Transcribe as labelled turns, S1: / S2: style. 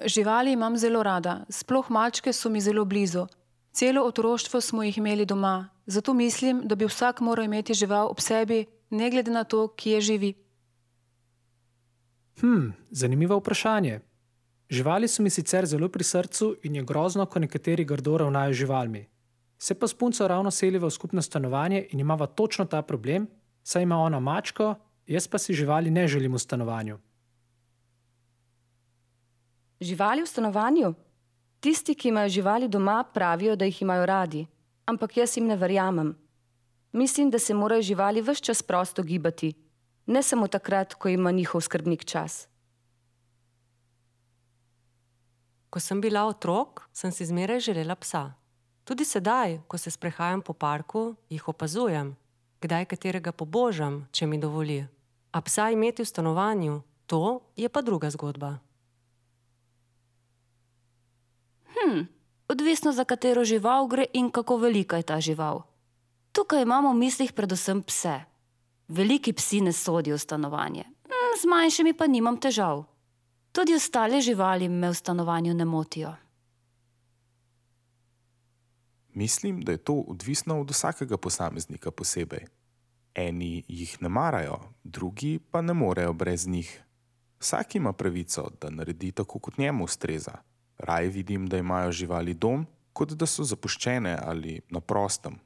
S1: Živali imam zelo rada, sploh mačke so mi zelo blizu. Celo otroštvo smo jih imeli doma, zato mislim, da bi vsak moral imeti žival ob sebi, ne glede na to, kje živi.
S2: Zanimivo vprašanje. Živali so mi sicer zelo pri srcu in je grozno, ko nekateri grdo ravnajo z živalmi. Se pa s punco ravno seliva v skupno stanovanje in imava točno ta problem, saj ima ona mačko, jaz pa si živali ne želim v stanovanju.
S3: Živali v stanovanju? Tisti, ki imajo živali doma, pravijo, da jih imajo radi, ampak jaz jim ne verjamem. Mislim, da se morajo živali ves čas prosto gibati, ne samo takrat, ko ima njihov skrbnik čas.
S4: Ko sem bila otrok, sem si zmeraj želela psa. Tudi sedaj, ko se sprehajam po parku, jih opazujem, kdaj katerega pobožam, če mi dovoli. A psa imeti v stanovanju, to je pa druga zgodba.
S5: Odvisno, za katero žival gre in kako velika je ta žival. Tukaj imamo v mislih predvsem pse. Veliki psi ne sodijo v stanovanje, z manjšimi pa nimam težav. Tudi ostale živali me v stanovanju ne motijo.
S6: Mislim, da je to odvisno od vsakega posameznika posebej. Eni jih ne marajo, drugi pa ne morejo brez njih. Vsak ima pravico, da naredi tako, kot njemu ustreza. Raje vidim, da imajo živali dom, kot da so zapuščene ali na prostem.